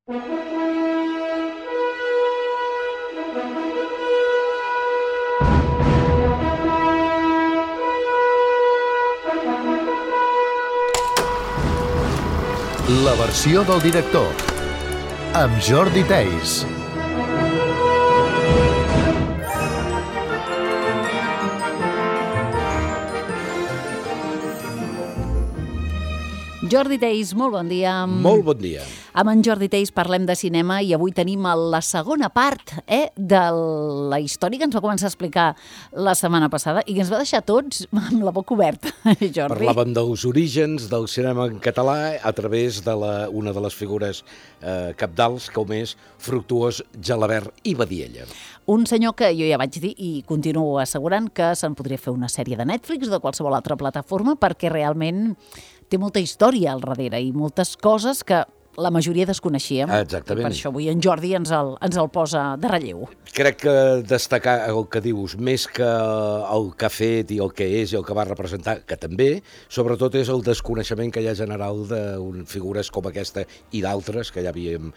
La versió del director, amb Jordi Theis. Jordi Theis, molt bon dia. Molt bon dia. Amb en Jordi Theis parlem de cinema i avui tenim la segona part de la història que ens va començar a explicar la setmana passada i que ens va deixar tots amb la boca oberta, Jordi. Parlàvem dels orígens del cinema en català a través de una de les figures cabdals, com és Fructuós Gelabert i Badiella. Un senyor que jo ja vaig dir i continuo assegurant que se'n podria fer una sèrie de Netflix o de qualsevol altra plataforma perquè realment té molta història al darrere i moltes coses que la majoria desconeixíem. Exactament. Per això avui en Jordi ens el posa de relleu. Crec que destacar el que dius, més que el que ha fet i el que és i el que va representar, que també, sobretot és el desconeixement que hi ha general de figures com aquesta i d'altres, que ja havíem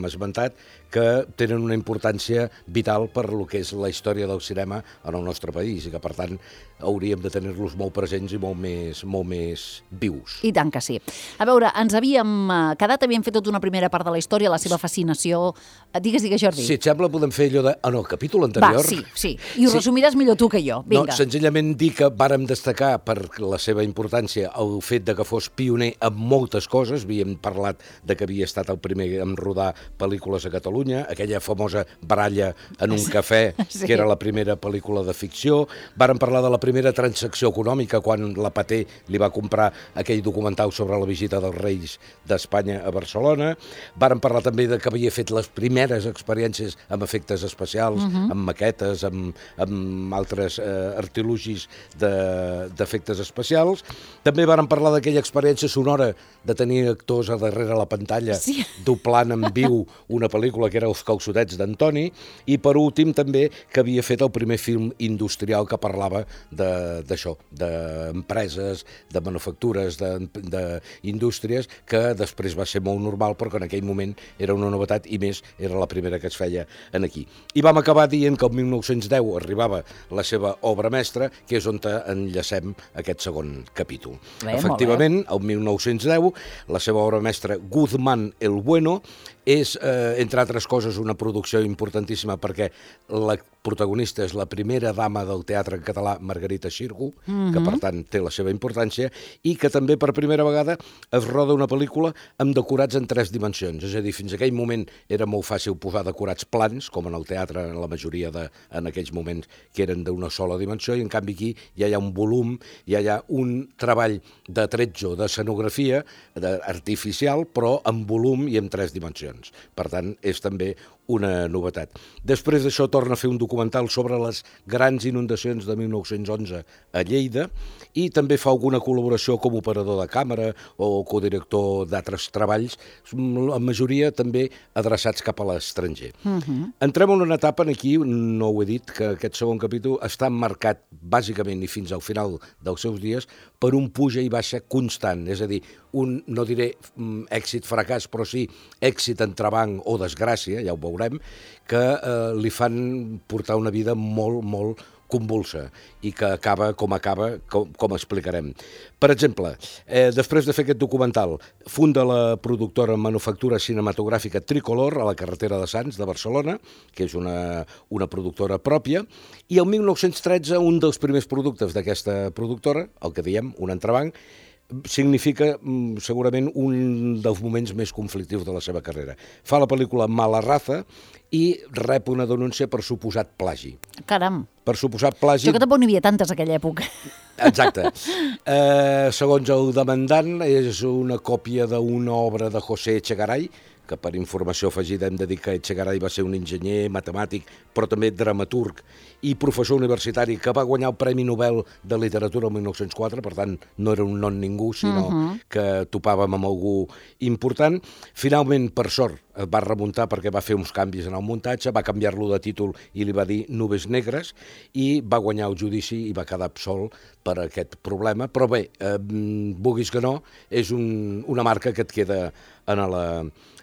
esmentat, que tenen una importància vital per lo que és la història del cinema en el nostre país i que, per tant, hauríem de tenir-los molt presents i molt més vius. I tant que sí. A veure, ens havíem quedat, havíem fet tota una primera part de la història, la seva fascinació. Digues, Jordi. Si et sembla, podem fer allò de... el capítol anterior... Va, sí. I ho resumiràs millor tu que jo. Vinga. No, senzillament dir que vàrem destacar per la seva importància el fet de que fos pioner en moltes coses. Havíem parlat de que havia estat el primer en rodar pel·lícules a Catalunya, aquella famosa baralla en un cafè, sí, que era la primera pel·lícula de ficció. Vàrem parlar de la primera transacció econòmica quan la Paté li va comprar aquell documental sobre la visita dels Reis d'Espanya a Barcelona. Vàrem parlar també de que havia fet les primeres experiències amb efectes especials, amb maquetes, amb altres artilugis d'efectes especials. També vàrem parlar d'aquella experiència sonora de tenir actors a darrere la pantalla, sí, doblant en viu una pel·lícula que era Els calçotets d'Antoni, i per últim també que havia fet el primer film industrial que parlava d'això, d'empreses, de manufactures, d'indústries, que després va ser molt normal, però que en aquell moment era una novetat i més era la primera que es feia aquí. I vam acabar dient que el 1910 arribava la seva obra mestra, que és on enllacem aquest segon capítol. Efectivament, el 1910, la seva obra mestra Guzmán el Bueno és, entre altres coses, una producció importantíssima perquè la protagonista és la primera dama del teatre en català, Margarita Xirgu, que per tant té la seva importància, i que també per primera vegada es roda una pel·lícula amb decorats en 3 dimensions. És a dir, fins a aquell moment era molt fàcil posar decorats plans, com en el teatre, en la majoria en aquells moments que eren d'una sola dimensió, i en canvi aquí ja hi ha un volum, ja hi ha un treball de tretzo, d'escenografia artificial, però en volum i en 3 dimensions. Per tant, és també una novetat. Després d'això torna a fer un documental sobre les grans inundacions de 1911 a Lleida i també fa alguna col·laboració com operador de càmera o codirector d'altres treballs, la majoria també adreçats cap a l'estranger. Entrem en una etapa aquí, no ho he dit, que aquest segon capítol està marcat bàsicament i fins al final dels seus dies per un puja i baixa constant, és a dir, un, no diré èxit-fracàs, però sí èxit entrebanc o desgràcia, ja ho veurem, que li fan portar una vida molt, molt convulsa i que acaba, com explicarem. Per exemple, després de fer aquest documental, funda la productora Manufactura Cinematogràfica Tricolor a la carretera de Sants de Barcelona, que és una productora pròpia, i el 1913 un dels primers productes d'aquesta productora, el que diem, un entrebanc, significa segurament un dels moments més conflictius de la seva carrera. Fa la pel·lícula Mala raza i rep una denúncia per suposat plagi. Caram. Per suposat plagi... Jo que tampoc n'hi havia tantes a aquella època. Exacte. Segons el demandant, és una còpia d'una obra de José Echegaray, que per informació afegida hem de dir que Echegaray va ser un enginyer, matemàtic, però també dramaturg i professor universitari que va guanyar el Premi Nobel de Literatura el 1904, per tant no era un non ningú, sinó que topàvem amb algú important. Finalment, per sort, es va remuntar perquè va fer uns canvis en el muntatge, va canviar-lo de títol i li va dir Nubes negres i va guanyar el judici i va quedar absolt per aquest problema, però bé, vulguis que no, és una marca que et queda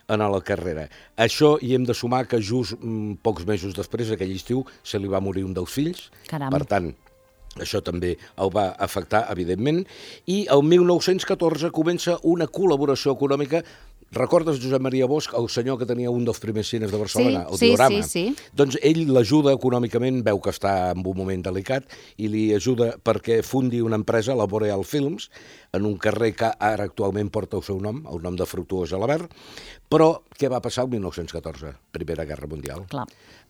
en la carrera. Això hi hem de sumar que just pocs mesos després, aquell estiu, se li va morir un dels fills. Caram. Per tant, això també el va afectar, evidentment, i el 1914 comença una col·laboració econòmica. Recordes Josep Maria Bosch, el senyor que tenia un dels primers cines de Barcelona, el Diorama? Sí. Doncs ell l'ajuda econòmicament, veu que està en un moment delicat, i li ajuda perquè fundi una empresa, la Boreal Films, en un carrer que ara actualment porta el seu nom, el nom de Fructuós Gelabert. Però què va passar el 1914? Primera Guerra Mundial. Clar.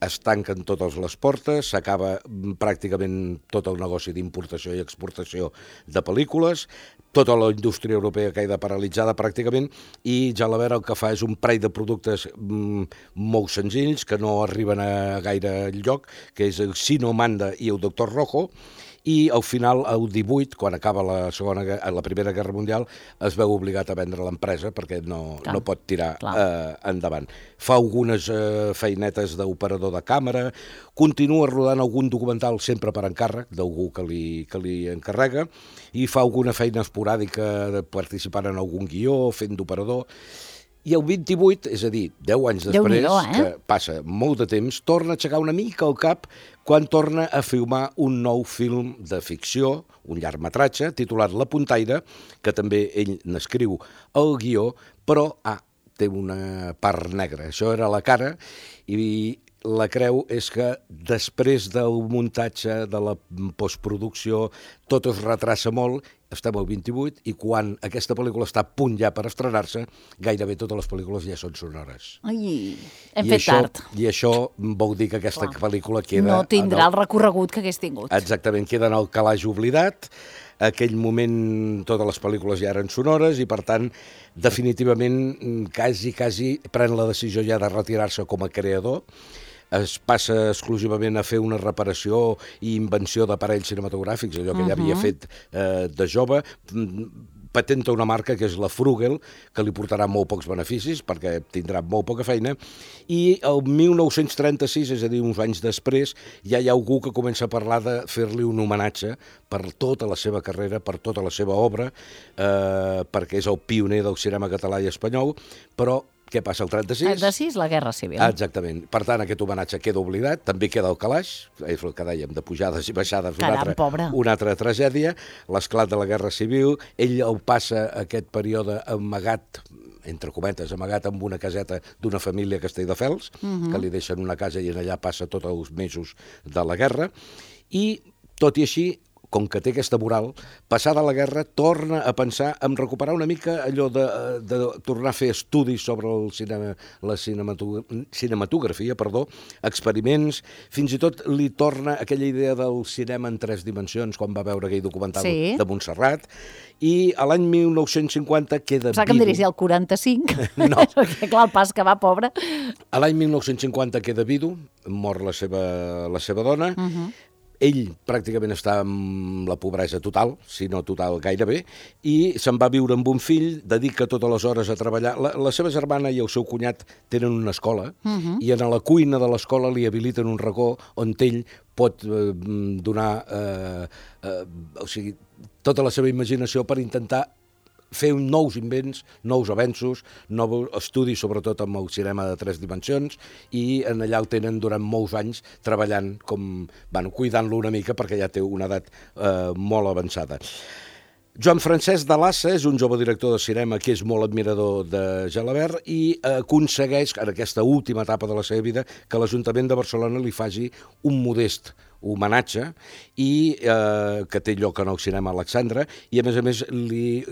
Es tanquen totes les portes, s'acaba pràcticament tot el negoci d'importació i exportació de pel·lícules, tota la indústria europea queda paralitzada pràcticament, i Gelabert el que fa és un parell de productes molt senzills, que no arriben a gaire lloc, que és el Sino Manda i el Doctor Rojo, i al final, el 18, quan acaba la Primera Guerra Mundial, es veu obligat a vendre l'empresa perquè no pot tirar endavant. Fa algunes feinetes d'operador de càmera, continua rodant algun documental sempre per encàrrec d'algú que li encarrega, i fa alguna feina esporàdica participant en algun guió, fent d'operador. I el 28, és a dir, 10 anys després, que passa molt de temps, torna a aixecar una mica el cap quan torna a filmar un nou film de ficció, un llargmetratge, titulat La Puntaire, que també ell n'escriu el guió, però té una part negra. Això era la cara, i la creu és que després del muntatge, de la postproducció, tot es retrassa molt. Estem al 28, i quan aquesta pel·lícula està a punt ja per estrenar-se, gairebé totes les pel·lícules ja són sonores. Ai, hem fet tard. I això vol dir que aquesta pel·lícula queda... No tindrà el recorregut que hagués tingut. Exactament, queda en el calaix oblidat. Aquell moment totes les pel·lícules ja eren sonores i, per tant, definitivament, quasi pren la decisió ja de retirar-se com a creador. Es passa exclusivament a fer una reparació i invenció d'aparells cinematogràfics, allò que ja havia fet de jove. Patenta una marca que és la Frugel, que li portarà molt pocs beneficis perquè tindrà molt poca feina, i el 1936, és a dir, uns anys després, ja hi ha algú que comença a parlar de fer-li un homenatge per tota la seva carrera, per tota la seva obra, perquè és el pioner del cinema català i espanyol, però què passa, el 36? El 36, la Guerra Civil. Exactament. Per tant, aquest homenatge queda oblidat, també queda el calaix, és el que dèiem, de pujades i baixades, una altra tragèdia, l'esclat de la Guerra Civil, ell el passa aquest període amagat, entre cometes, amagat amb una caseta d'una família a Castelldefels, que li deixen una casa i allà passa tots els mesos de la guerra, i tot i així, com que té aquesta moral, passada la guerra, torna a pensar en recuperar una mica allò de tornar a fer estudis sobre la cinematografia, experiments, fins i tot li torna aquella idea del cinema en 3 dimensions, quan va veure aquell documental de Montserrat, i a l'any 1950 queda vidu. Que em diries, el 45? No. Perquè clar, el pas que va, pobre. A l'any 1950 queda vidu, mor la seva dona, ell pràcticament està en la pobresa total, si no total gairebé, i se'n va viure amb un fill, dedica totes les hores a treballar. La seva germana i el seu cunyat tenen una escola, i en la cuina de l'escola li habiliten un racó on ell pot donar tota la seva imaginació per intentar fer nous invents, nous avenços, nous estudis, sobretot amb el cinema de 3 dimensions, i en allà el tenen durant molts anys treballant, cuidant-lo una mica perquè ja té una edat molt avançada. Joan Francesc de Lassa és un jove director de cinema que és molt admirador de Gelabert i aconsegueix, en aquesta última etapa de la seva vida, que l'Ajuntament de Barcelona li faci un modest homenatge i que té lloc en el cinema Alexandre, i a més li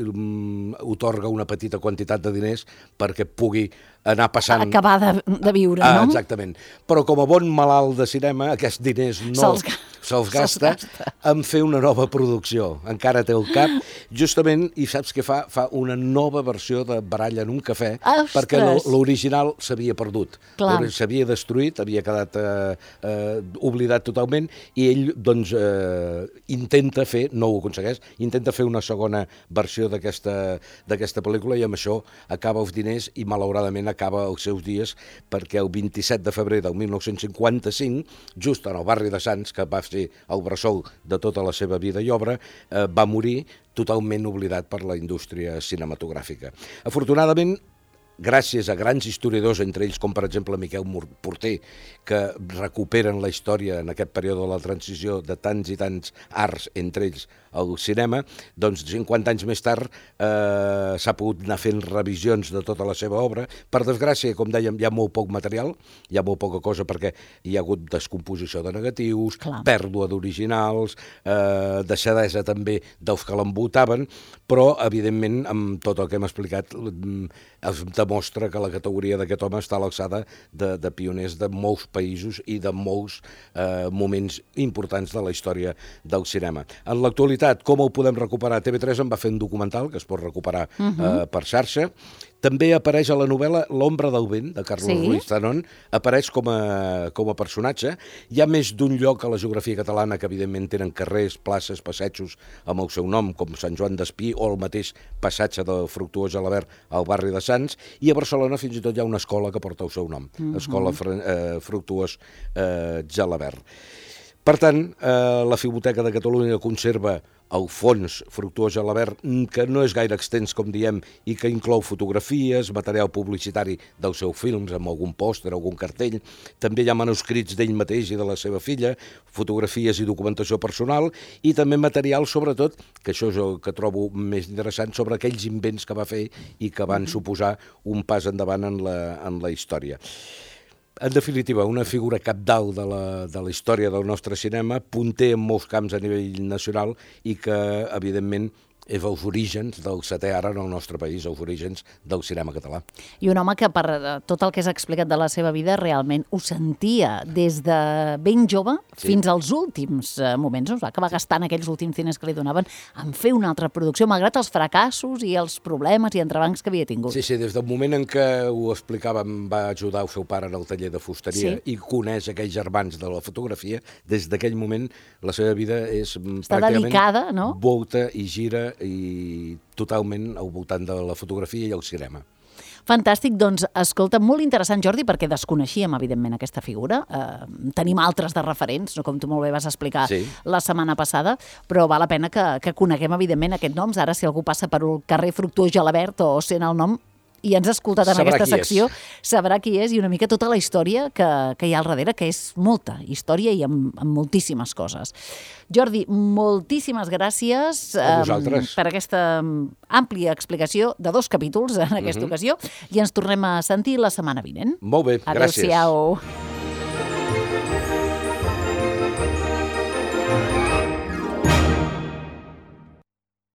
otorga una petita quantitat de diners perquè pugui anar passant... Acabar de viure, no? Exactament. Però com a bon malalt de cinema, aquests diners no se'ls gasta en fer una nova producció. Encara té el cap, justament, i saps què fa? Fa una nova versió de Baralla en un cafè, perquè l'original s'havia perdut. S'havia destruït, havia quedat oblidat totalment, i ell, doncs, intenta fer, no ho aconsegueix, intenta fer una segona versió d'aquesta pel·lícula, i amb això acaba els diners i, malauradament, acaba els seus dies, perquè el 27 de febrer del 1955, just en el barri de Sants, que va ser el bressol de tota la seva vida i obra, va morir totalment oblidat per la indústria cinematogràfica. Afortunadament, gràcies a grans historiadors, entre ells com per exemple Miquel Porter, que recuperen la història en aquest període de la transició de tants i tants arts, entre ells el cinema, doncs 50 anys més tard s'ha pogut anar fent revisions de tota la seva obra. Per desgràcia, com dèiem, hi ha molt poc material, hi ha molt poca cosa perquè hi ha hagut descomposició de negatius, pèrdua d'originals, deixadesa també dels que l'envoltaven, però evidentment amb tot el que hem explicat es demostra que la categoria d'aquest home està a l'alçada de pioners de molts països i de molts moments importants de la història del cinema. En l'actualitat, com ho podem recuperar? TV3 en va fer un documental que es pot recuperar per xarxa. També apareix a la novel·la L'ombra del vent, de Carlos Ruiz Zafón, apareix com a personatge. Hi ha més d'un lloc a la geografia catalana que evidentment tenen carrers, places, passatges amb el seu nom, com Sant Joan d'Espí o el mateix passatge de Fructuós Gelabert al barri de Sants, i a Barcelona fins i tot hi ha una escola que porta el seu nom, Escola Fructuós Gelabert. Per tant, la Filmoteca de Catalunya conserva el fons Fructuós Gelabert, que no és gaire extens, com diem, i que inclou fotografies, material publicitari dels seus films, amb algun pòster, algun cartell. També hi ha manuscrits d'ell mateix i de la seva filla, fotografies i documentació personal, i també material, sobretot, que això és el que trobo més interessant, sobre aquells invents que va fer i que van suposar un pas endavant en la història. En definitiva, una figura cabdal de la història del nostre cinema, punter en molts camps a nivell nacional i que, evidentment, és els orígens del setè art en el nostre país, els orígens del cinema català. I un home que per tot el que s'ha explicat de la seva vida realment ho sentia des de ben jove fins als últims moments. No? Va acabar gastant aquells últims diners que li donaven en fer una altra producció, malgrat els fracassos i els problemes i entrebancs que havia tingut. Sí, des del moment en què ho explicàvem, va ajudar el seu pare en el taller de fusteria i coneix aquells germans de la fotografia, des d'aquell moment la seva vida és pràcticament dedicada, no? Volta i gira i totalment al voltant de la fotografia i el cinema. Fantàstic, doncs, escolta, molt interessant, Jordi, perquè desconeixíem, evidentment, aquesta figura. Tenim altres de referents, no com tu molt bé vas explicar la setmana passada, però val la pena que coneguem, evidentment, aquests noms. Ara, si algú passa per el carrer Fructuós Gelabert o sent el nom i ens ha escoltat en aquesta secció, sabrà qui és i una mica tota la història que hi ha al darrere, que és molta història i amb moltíssimes coses. Jordi, moltíssimes gràcies per aquesta àmplia explicació de 2 capítols en aquesta ocasió i ens tornem a sentir la setmana vinent. Molt bé, gràcies. Adéu-siau.